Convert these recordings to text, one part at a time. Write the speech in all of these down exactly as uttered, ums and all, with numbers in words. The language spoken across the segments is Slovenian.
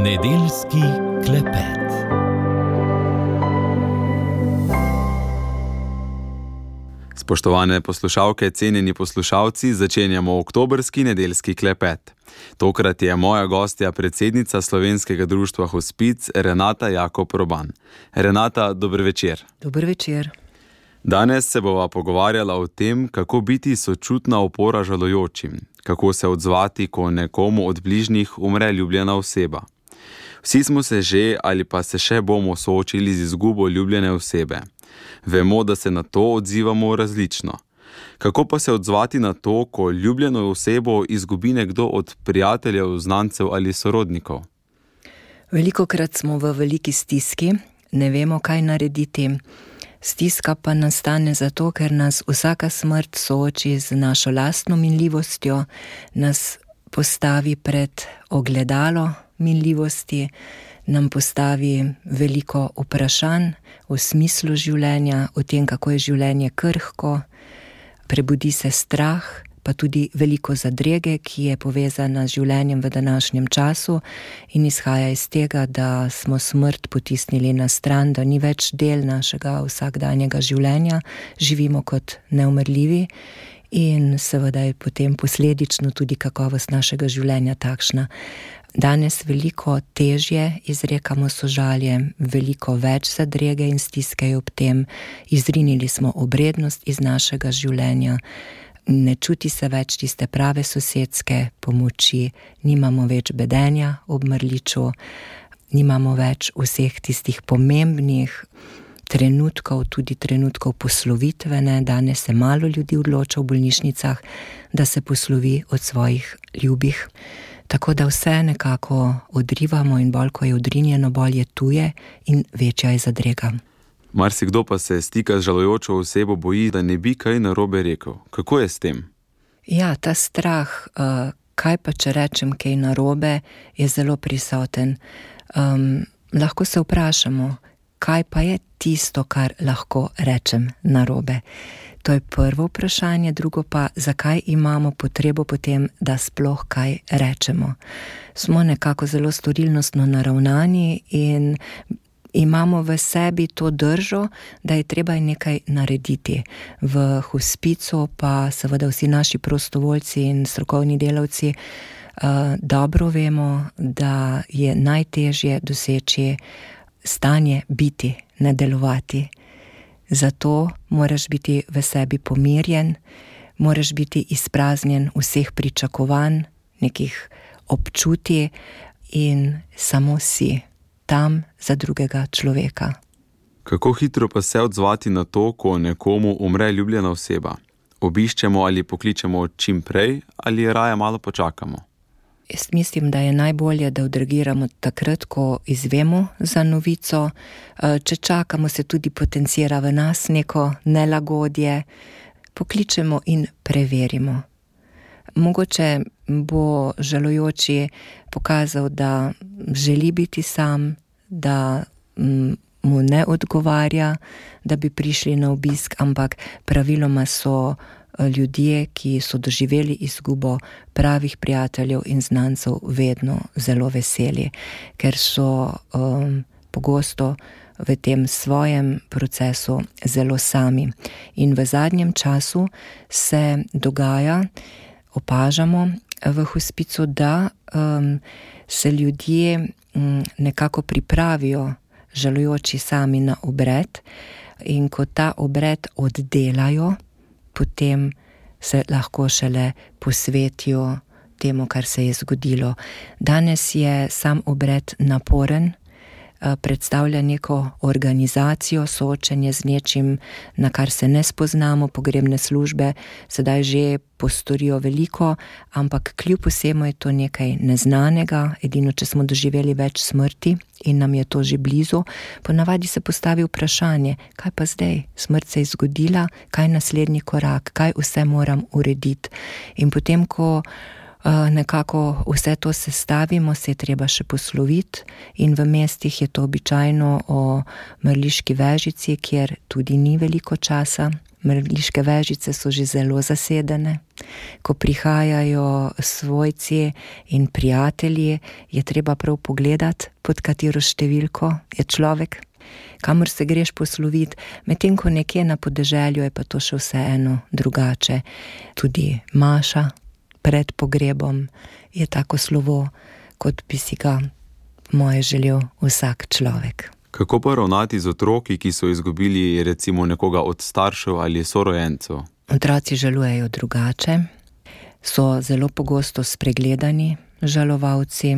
Nedeljski klepet. Spoštovane poslušalke, cenjeni poslušalci, začenjamo oktobrski nedeljski klepet. Tokrat je moja gostja predsednica Slovenskega društva Hospic, Renata Jakob Roban. Renata, dober večer. Dober večer. Danes se bova pogovarjala o tem, kako biti sočutna opora žalujočim, kako se odzvati, ko nekomu od bližnjih umre ljubljena oseba. Vsi smo se že ali pa se še bomo soočili z izgubo ljubljene osebe. Vemo, da se na to odzivamo različno. Kako pa se odzvati na to, ko ljubljeno osebo izgubi nekdo od prijateljev, znancev ali sorodnikov? Velikokrat smo v veliki stiski, ne vemo, kaj narediti. Stiska pa nastane zato, ker nas vsaka smrt sooči z našo lastno minljivostjo, nas postavi pred ogledalo minljivosti, nam postavi veliko vprašanj o smislu življenja, o tem, kako je življenje krhko, prebudi se strah, pa tudi veliko zadrege, ki je povezana z življenjem v današnjem času in izhaja iz tega, da smo smrt potisnili na stran, da ni več del našega vsakdanjega življenja, živimo kot neumrljivi in seveda je potem posledično tudi kakovost našega življenja takšna. Danes veliko težje izrekamo sožalje, veliko več zadrege in stiske ob tem, izrinili smo obrednost iz našega življenja, ne čuti se več tiste prave sosedske pomoči, nimamo več bedenja ob mrliču, nimamo več vseh tistih pomembnih trenutkov, tudi trenutkov poslovitvene. Danes se malo ljudi odloča v bolnišnicah, da se poslovi od svojih ljubih. Tako da vse nekako odrivamo in bolj, ko je odrinjeno, bolj je tuje in večja je zadrega. Marsikdo pa se stika z žalujočo osebo boji, da ne bi kaj narobe rekel. Kako je s tem? Ja, ta strah, uh, kaj pa če rečem kaj narobe, je zelo prisoten. Um, lahko se vprašamo, kaj pa je tisto, kar lahko rečem narobe. To je prvo vprašanje, drugo pa, zakaj imamo potrebo potem, da sploh kaj rečemo. Smo nekako zelo storilnostno naravnani in imamo v sebi to držo, da je treba nekaj narediti. V hospicu pa seveda vsi naši prostovoljci in strokovni delavci uh, dobro vemo, da je najtežje doseči stanje biti, ne delovati. Zato moraš biti v sebi pomirjen, moraš biti izpraznjen vseh pričakovanj, nekih občutij in samo si tam za drugega človeka. Kako hitro pa se odzvati na to, ko nekomu umre ljubljena oseba? Obiščemo ali pokličemo čim prej ali raje malo počakamo? Jaz mislim, da je najbolje, da odreagiramo takrat, ko izvemo za novico. Če čakamo, se tudi potencira v nas neko nelagodje. Pokličemo in preverimo. Mogoče bo žalujoči pokazal, da želi biti sam, da mu ne odgovarja, da bi prišli na obisk, ampak praviloma so ljudje, ki so doživeli izgubo pravih prijateljev in znancev, vedno zelo veseli, ker so um, pogosto v tem svojem procesu zelo sami. In v zadnjem času se dogaja, opažamo v hospicu, da um, se ljudje um, nekako pripravijo, žalujoči sami, na obred, in ko ta obred oddelajo, potem se lahko šele posvetijo temu, kar se je zgodilo. Danes je sam obred naporen, predstavlja neko organizacijo, soočenje z nečim, na kar se ne spoznamo. Pogrebne službe sedaj že postorijo veliko, ampak kljub vsemu je to nekaj neznanega. Edino, če smo doživeli več smrti in nam je to že blizu, ponavadi se postavi vprašanje, kaj pa zdaj? Smrt se je zgodila, kaj je naslednji korak, kaj vse moram urediti? In potem, ko nekako vse to sestavimo, se je treba še posloviti in v mestih je to običajno o mrliški vežici, kjer tudi ni veliko časa. Mrliške vežice so že zelo zasedene. Ko prihajajo svojci in prijatelji, je treba prav pogledati, pod katero številko je človek, kamor se greš posloviti, medtem ko nekje na podeželju je pa to še vseeno drugače. Tudi maša pred pogrebom je tako slovo, kot bi si ga moje želel vsak človek. Kako pa ravnati z otroki, ki so izgubili recimo nekoga od staršev ali sorojencev? Otroci žalujejo drugače, so zelo pogosto spregledani žalovalci,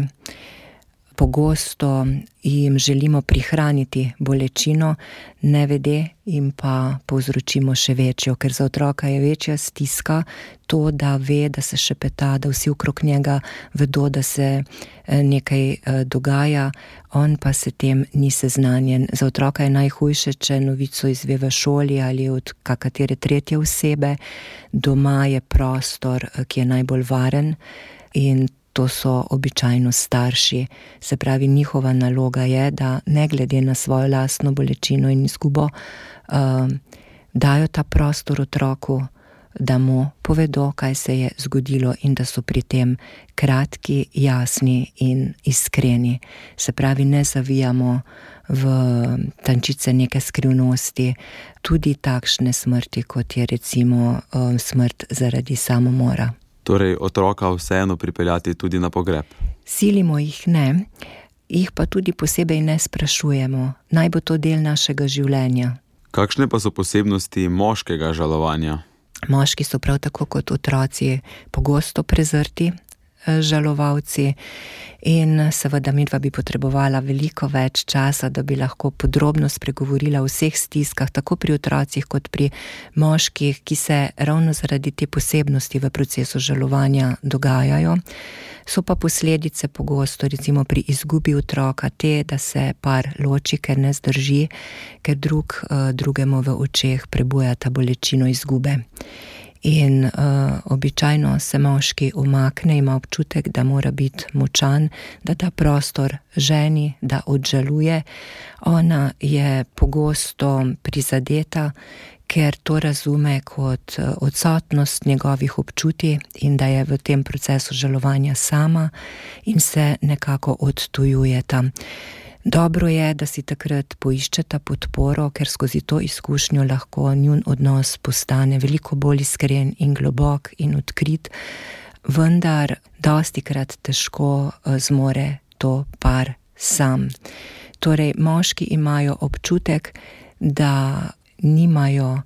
pogosto jim želimo prihraniti bolečino, nevede jim pa povzročimo še večjo, ker za otroka je večja stiska to, da ve, da se šepeta, da vsi okrog njega vedo, da se nekaj dogaja, on pa se tem ni seznanjen. Za otroka je najhujše, če novico izve v šoli ali od katere tretje osebe. Doma je prostor, ki je najbolj varen in to so običajno starši. Se pravi, njihova naloga je, da ne glede na svojo lastno bolečino in izgubo, uh, dajo ta prostor otroku, da mu povedo, kaj se je zgodilo in da so pri tem kratki, jasni in iskreni. Se pravi, ne zavijamo v tančice neke skrivnosti, tudi takšne smrti, kot je recimo uh, smrt zaradi samomora. Torej, otroka vseeno pripeljati tudi na pogreb? Silimo jih ne, jih pa tudi posebej ne sprašujemo. Naj bo to del našega življenja. Kakšne pa so posebnosti moškega žalovanja? Moški so prav tako kot otroci pogosto prezrti žalovalci in seveda midva bi potrebovala veliko več časa, da bi lahko podrobno spregovorila o vseh stiskah, tako pri otrocih kot pri moških, ki se ravno zaradi te posebnosti v procesu žalovanja dogajajo. So pa posledice pogosto, recimo pri izgubi otroka, te, da se par loči, ker ne zdrži, ker drug drugemu v očeh prebuja ta bolečino izgube. In uh, običajno se moški umakne, ima občutek, da mora biti močan, da da prostor ženi, da odžaluje. Ona je pogosto prizadeta, ker to razume kot odsotnost njegovih občutij in da je v tem procesu žalovanja sama in se nekako odtujujeta. Dobro je, da si takrat poiščeta podporo, ker skozi to izkušnjo lahko njun odnos postane veliko bolj iskren in globok in odkrit, vendar dostikrat težko zmore to par sam. Torej, moški imajo občutek, da nimajo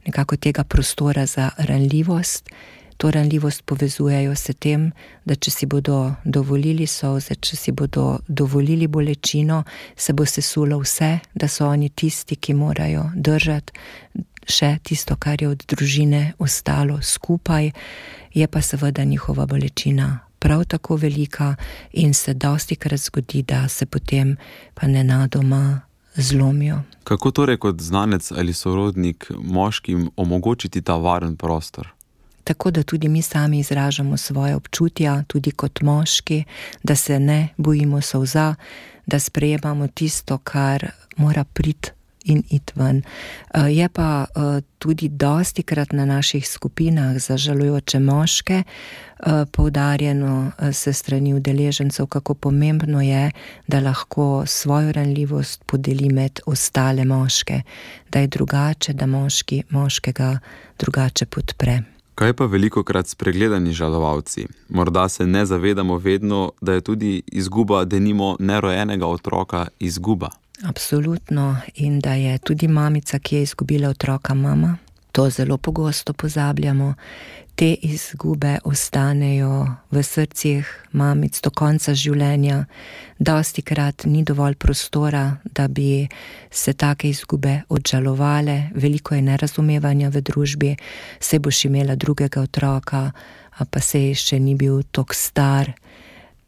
nekako tega prostora za ranljivost. To ranljivost povezujejo s tem, da če si bodo dovolili solze, če si bodo dovolili bolečino, se bo sesulo vse, da so oni tisti, ki morajo držati še tisto, kar je od družine ostalo skupaj, je pa seveda njihova bolečina prav tako velika in se dostikrat zgodi, da se potem pa nenadoma zlomijo. Kako torej kot znanec ali sorodnik moškim omogočiti ta varen prostor? Tako da tudi mi sami izražamo svoje občutja, tudi kot moški, da se ne bojimo solza, da sprejemamo tisto, kar mora priti in iti ven. Je pa tudi dostikrat na naših skupinah za žalujoče moške poudarjeno se strani udeležencev, kako pomembno je, da lahko svojo ranljivost podeli med ostale moške, da je drugače, da moški moškega drugače podpre. Kaj pa velikokrat spregledani žalovalci? Morda se ne zavedamo vedno, da je tudi izguba denimo nerojenega otroka izguba. Absolutno, in da je tudi mamica, ki je izgubila otroka, mama. To zelo pogosto pozabljamo. Te izgube ostanejo v srcih mamic do konca življenja. Dostikrat ni dovolj prostora, da bi se take izgube odžalovale. Veliko je nerazumevanja v družbi. Saj boš imela drugega otroka, a pa saj še ni bil toliko star.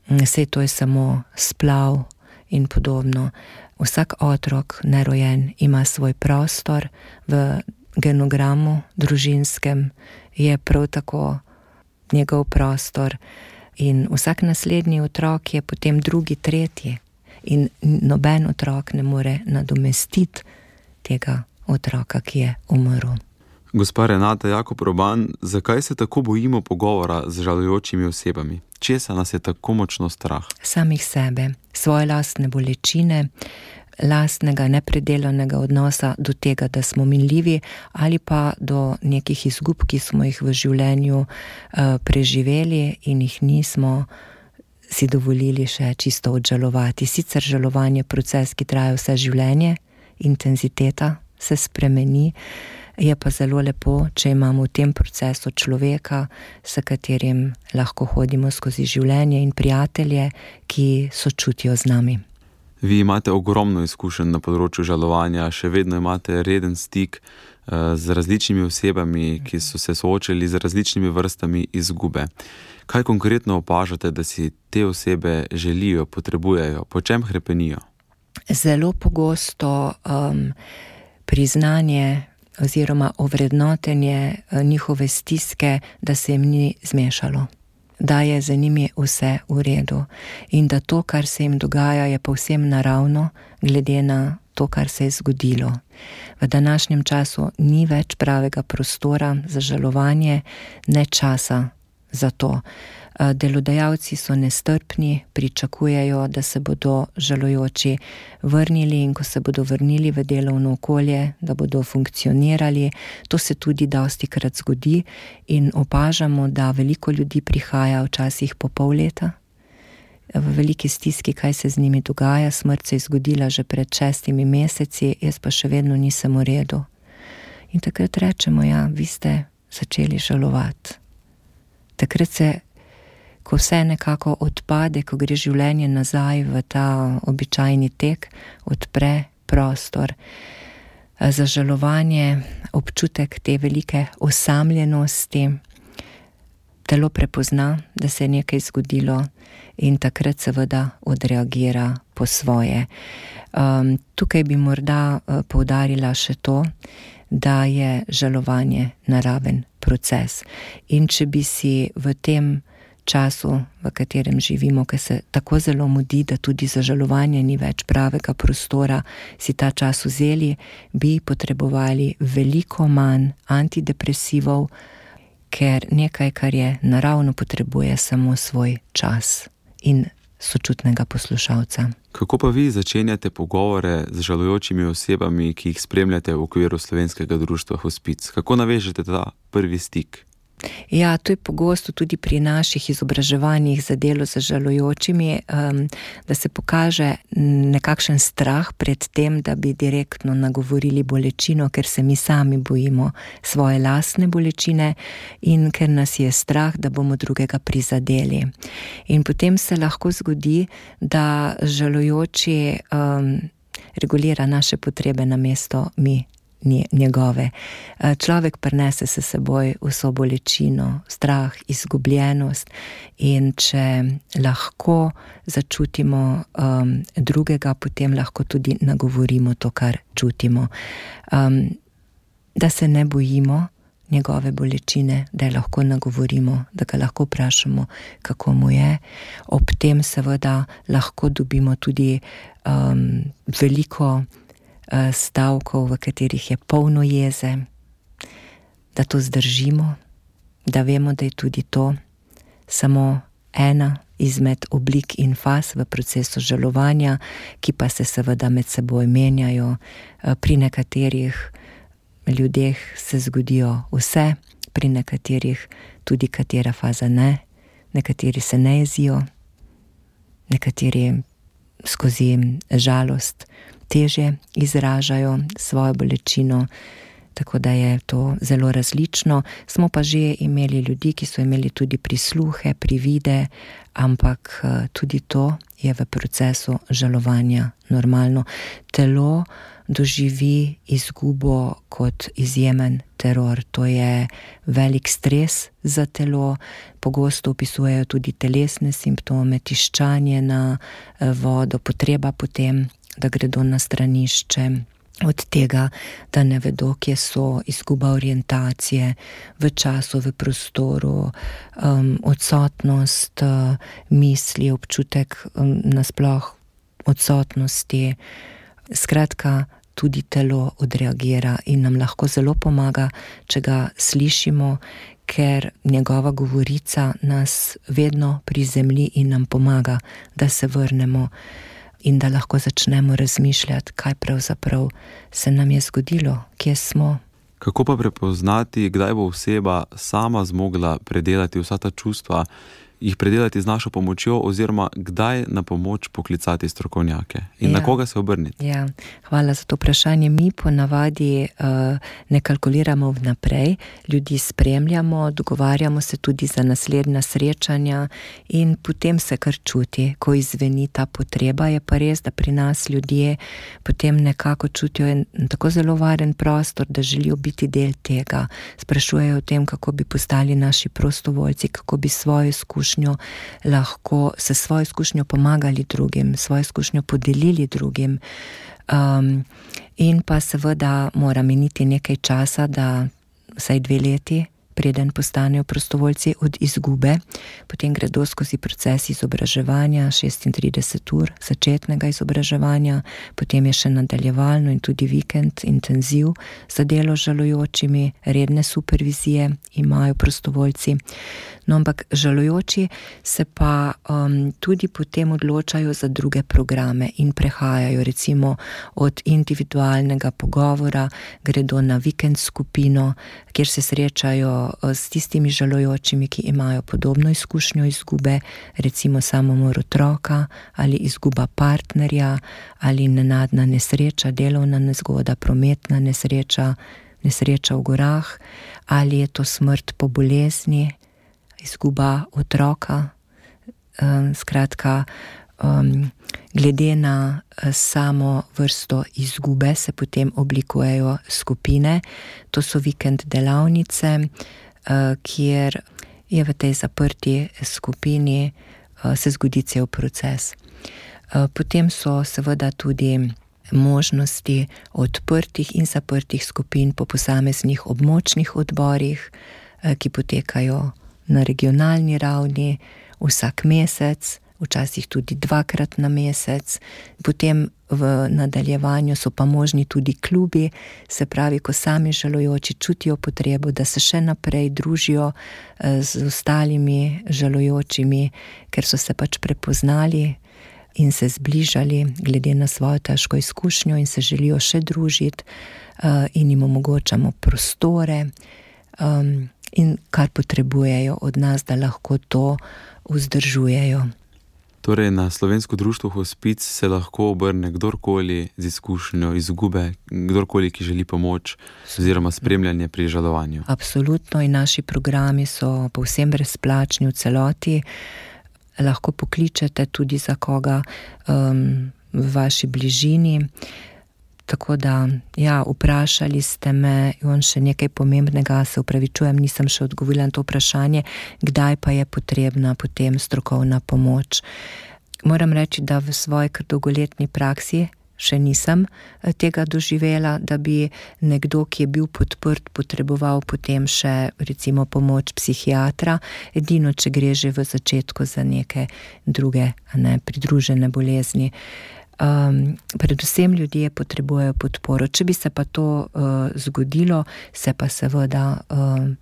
Saj to je samo splav in podobno. Vsak otrok nerojen ima svoj prostor v genogramu družinskem, je prav tako njegov prostor. In vsak naslednji otrok je potem drugi, tretji. In noben otrok ne more nadomestiti tega otroka, ki je umrl. Gospa Renata Jakob Roban, zakaj se tako bojimo pogovora z žalujočimi osebami? Česa nas je tako močno strah? Samih sebe, svoje lastne bolečine, lastnega nepredelanega odnosa do tega, da smo minljivi, ali pa do nekih izgub, ki smo jih v življenju uh, preživeli in jih nismo si dovolili še čisto odžalovati. Sicer žalovanje je proces, ki traja vse življenje, intenziteta se spremeni, je pa zelo lepo, če imamo v tem procesu človeka, s katerim lahko hodimo skozi življenje, in prijatelje, ki sočutijo z nami. Vi imate ogromno izkušenj na področju žalovanja, še vedno imate reden stik z različnimi osebami, ki so se soočali z različnimi vrstami izgube. Kaj konkretno opažate, da si te osebe želijo, potrebujejo, po čem hrepenijo? Zelo pogosto um, priznanje oziroma ovrednotenje njihove stiske, da se jim ni zmešalo, da je za njimi vse v redu in da to, kar se jim dogaja, je povsem naravno, glede na to, kar se je zgodilo. V današnjem času ni več pravega prostora za žalovanje, ne časa za to. Delodajalci so nestrpni, pričakujejo, da se bodo žalujoči vrnili, in ko se bodo vrnili v delovno okolje, da bodo funkcionirali. To se tudi dostikrat zgodi in opažamo, da veliko ljudi prihaja včasih po pol leta v veliki stiski, kaj se z njimi dogaja. Smrt se je zgodila že pred šestimi meseci, jaz pa še vedno nisem v redu. In takrat rečemo, ja, vi ste začeli žalovati. Takrat se, ko vse nekako odpade, ko gre življenje nazaj v ta običajni tek, odpre prostor za žalovanje, občutek te velike osamljenosti. Telo prepozna, da se je nekaj zgodilo, in takrat seveda odreagira po svoje. Um, tukaj bi morda uh, poudarila še to, da je žalovanje naraven proces. In če bi si v tem času, v katerem živimo, ki se tako zelo mudi, da tudi za žalovanje ni več pravega prostora, si ta čas vzeli, bi potrebovali veliko manj antidepresivov, ker nekaj, kar je naravno, potrebuje samo svoj čas in sočutnega poslušalca. Kako pa vi začenjate pogovore z žalujočimi osebami, ki jih spremljate v okviru Slovenskega društva Hospic? Kako navežete ta prvi stik? Ja, to je pogosto tudi pri naših izobraževanjih za delo z žalujočimi, um, da se pokaže nekakšen strah pred tem, da bi direktno nagovorili bolečino, ker se mi sami bojimo svoje lastne bolečine in ker nas je strah, da bomo drugega prizadeli. In potem se lahko zgodi, da žalujoči um, regulira naše potrebe namesto mi njegove. Človek prinese se seboj vso bolečino, strah, izgubljenost, in če lahko začutimo um, drugega, potem lahko tudi nagovorimo to, kar čutimo. Um, da se ne bojimo njegove bolečine, da jo lahko nagovorimo, da ga lahko vprašamo, kako mu je. Ob tem seveda lahko dobimo tudi um, veliko stavkov, v katerih je polno jeze, da to zdržimo, da vemo, da je tudi to samo ena izmed oblik in faz v procesu žalovanja, ki pa se seveda med seboj menjajo. Pri nekaterih ljudeh se zgodijo vse, pri nekaterih tudi katera faza ne, nekateri se ne jezijo, nekateri skozi žalost težje izražajo svojo bolečino, tako da je to zelo različno. Smo pa že imeli ljudi, ki so imeli tudi prisluhe, privide, ampak tudi to je v procesu žalovanja normalno. Telo doživi izgubo kot izjemen teror. To je velik stres za telo. Pogosto opisujejo tudi telesne simptome, tiščanje na vodo, potreba potem, da gredo na stranišče, od tega, da ne vedo, kje so, izguba orientacije v času, v prostoru, um, odsotnost uh, misli, občutek um, nasploh odsotnosti. Skratka, tudi telo odreagira in nam lahko zelo pomaga, če ga slišimo, ker njegova govorica nas vedno prizemlji in nam pomaga, da se vrnemo in da lahko začnemo razmišljati, kaj pravzaprav se nam je zgodilo, kje smo. Kako pa prepoznati, kdaj bo oseba sama zmogla predelati vsa ta čustva, jih predelati z našo pomočjo, oziroma kdaj na pomoč poklicati strokovnjake in ja. na koga se obrniti? Ja, hvala za to vprašanje. Mi ponavadi uh, ne kalkuliramo vnaprej, ljudi spremljamo, dogovarjamo se tudi za naslednja srečanja in potem se kar čuti, ko izveni ta potreba. Je pa res, da pri nas ljudje potem nekako čutijo en tako zelo varen prostor, da želijo biti del tega. Sprašujejo o tem, kako bi postali naši prostovoljci, kako bi svojo izkušnjo lahko se svojo izkušnjo pomagali drugim, svojo izkušnjo podelili drugim. Um, in pa seveda mora miniti nekaj časa, da vsaj dve leti, preden postanejo prostovoljci od izgube. Potem gredo skozi proces izobraževanja, šestintrideset ur začetnega izobraževanja, potem je še nadaljevalno in tudi vikend intenziv za delo z žalujočimi, redne supervizije imajo prostovoljci. No, ampak žalujoči se pa um, tudi potem odločajo za druge programe in prehajajo recimo od individualnega pogovora, gredo na vikend skupino, kjer se srečajo s tistimi žalujočimi, ki imajo podobno izkušnjo izgube, recimo samomor otroka ali izguba partnerja ali nenadna nesreča, delovna nezgoda, prometna nesreča, nesreča v gorah, ali je to smrt po bolezni, izguba otroka. Um, skratka, um, glede na samo vrsto izgube se potem oblikujejo skupine. To so vikend delavnice, uh, kjer je v tej zaprti skupini uh, se zgodi cel proces. Uh, potem so seveda tudi možnosti odprtih in zaprtih skupin po posameznih območnih odborih, uh, ki potekajo na regionalni ravni vsak mesec, včasih tudi dvakrat na mesec. Potem v nadaljevanju so pa možni tudi klubi, se pravi, ko sami žalujoči čutijo potrebo, da se še naprej družijo z ostalimi žalujočimi, ker so se pač prepoznali in se zbližali glede na svojo težko izkušnjo in se želijo še družiti, in jim omogočamo prostore in kar potrebujejo od nas, da lahko to vzdržujejo. Torej, na Slovensko društvo Hospic se lahko obrne kdorkoli z izkušnjo izgube, kdorkoli, ki želi pomoč oziroma spremljanje pri žalovanju. Absolutno, in naši programi so povsem brezplačni v celoti. Lahko pokličete tudi za koga um, v vaši bližini. Tako da, ja, vprašali ste me, in še nekaj pomembnega, se upravičujem, nisem še odgovorila na to vprašanje, kdaj pa je potrebna potem strokovna pomoč. Moram reči, da v svoji kar dolgoletni praksi še nisem tega doživela, da bi nekdo, ki je bil podprt, potreboval potem še recimo pomoč psihiatra, edino, če gre že v začetku za neke druge, ne, pridružene bolezni. Um, predvsem ljudje potrebujejo podporo. Če bi se pa to uh, zgodilo, se pa seveda um,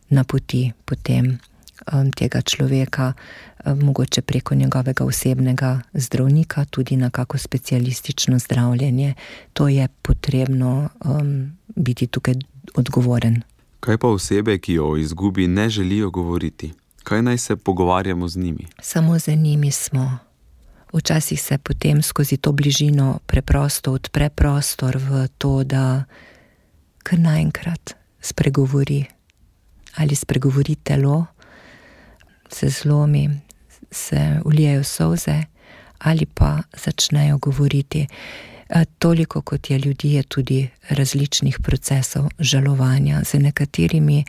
napoti potem um, tega človeka, um, mogoče preko njegovega osebnega zdravnika, tudi na kako specialistično zdravljenje. To je potrebno um, biti tukaj odgovoren. Kaj pa osebe, ki o izgubi ne želijo govoriti? Kaj naj se pogovarjamo z njimi? Samo z njimi smo. Včasih se potem skozi to bližino preprosto odpre prostor v to, da kar naenkrat spregovori. Ali spregovori telo, se zlomi, se ulijejo solze, ali pa začnejo govoriti. Toliko kot je ljudi, je tudi različnih procesov žalovanja. Z nekaterimi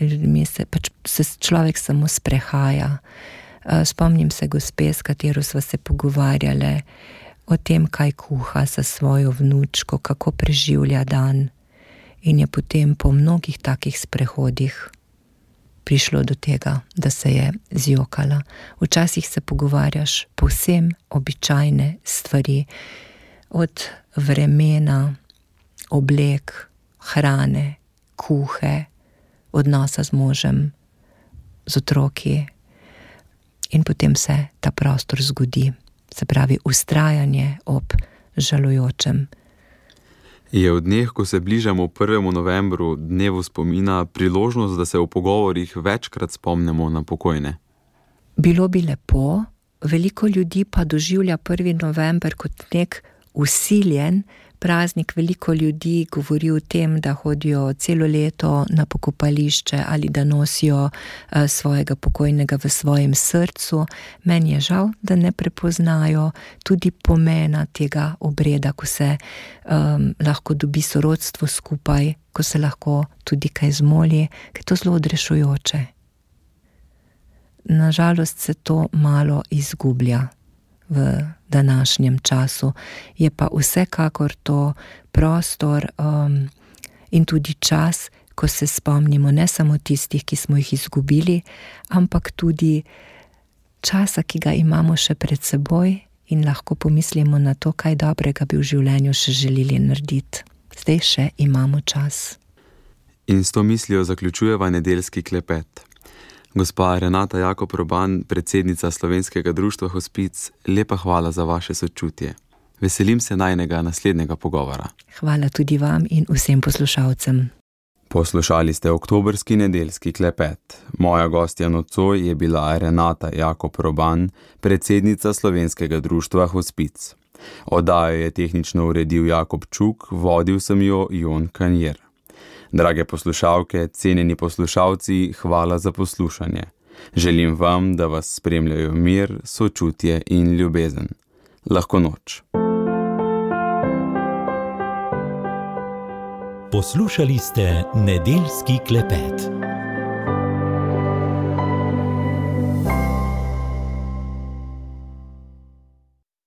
ljudmi se pač se človek samo sprehaja. Spomnim se gospe, s katero sva se pogovarjale, o tem, kaj kuha za svojo vnučko, kako preživlja dan. In je potem po mnogih takih sprehodih prišlo do tega, da se je zjokala. Včasih se pogovarjaš povsem običajne stvari, od vremena, oblek, hrane, kuhe, odnosa z možem, z otroki, in potem se ta prostor zgodi. Se pravi, vztrajanje ob žalujočem. Je v dneh, ko se bližamo prvemu novembru, dnevu spomina, priložnost, da se v pogovorih večkrat spomnimo na pokojne? Bilo bi lepo, veliko ljudi pa doživlja prvi november kot nek usiljen praznik. Veliko ljudi govori o tem, da hodijo celo leto na pokopališče ali da nosijo svojega pokojnega v svojem srcu. Meni je žal, da ne prepoznajo tudi pomena tega obreda, ko se um, lahko dobi sorodstvo skupaj, ko se lahko tudi kaj zmoli, ker je to zelo odrešujoče. Nažalost se to malo izgublja v današnjem času. Je pa vsekakor to prostor um, in tudi čas, ko se spomnimo ne samo tistih, ki smo jih izgubili, ampak tudi časa, ki ga imamo še pred seboj in lahko pomislimo na to, kaj dobrega bi v življenju še želeli narediti. Zdaj še imamo čas. In s to mislijo zaključujeva nedeljski klepet. Gospa Renata Jakob Roban, predsednica Slovenskega društva Hospic, lepa hvala za vaše sočutje. Veselim se najnega naslednjega pogovora. Hvala tudi vam in vsem poslušalcem. Poslušali ste oktobrski nedeljski klepet. Moja gostja nocoj je bila Renata Jakob Roban, predsednica Slovenskega društva Hospic. Oddajo je tehnično uredil Jakob Čuk, vodil sem jo Jon Kanjer. Drage poslušalke, cenjeni poslušalci, hvala za poslušanje. Želim vam, da vas spremljajo mir, sočutje in ljubezen. Lahko noč. Poslušali ste nedeljski klepet.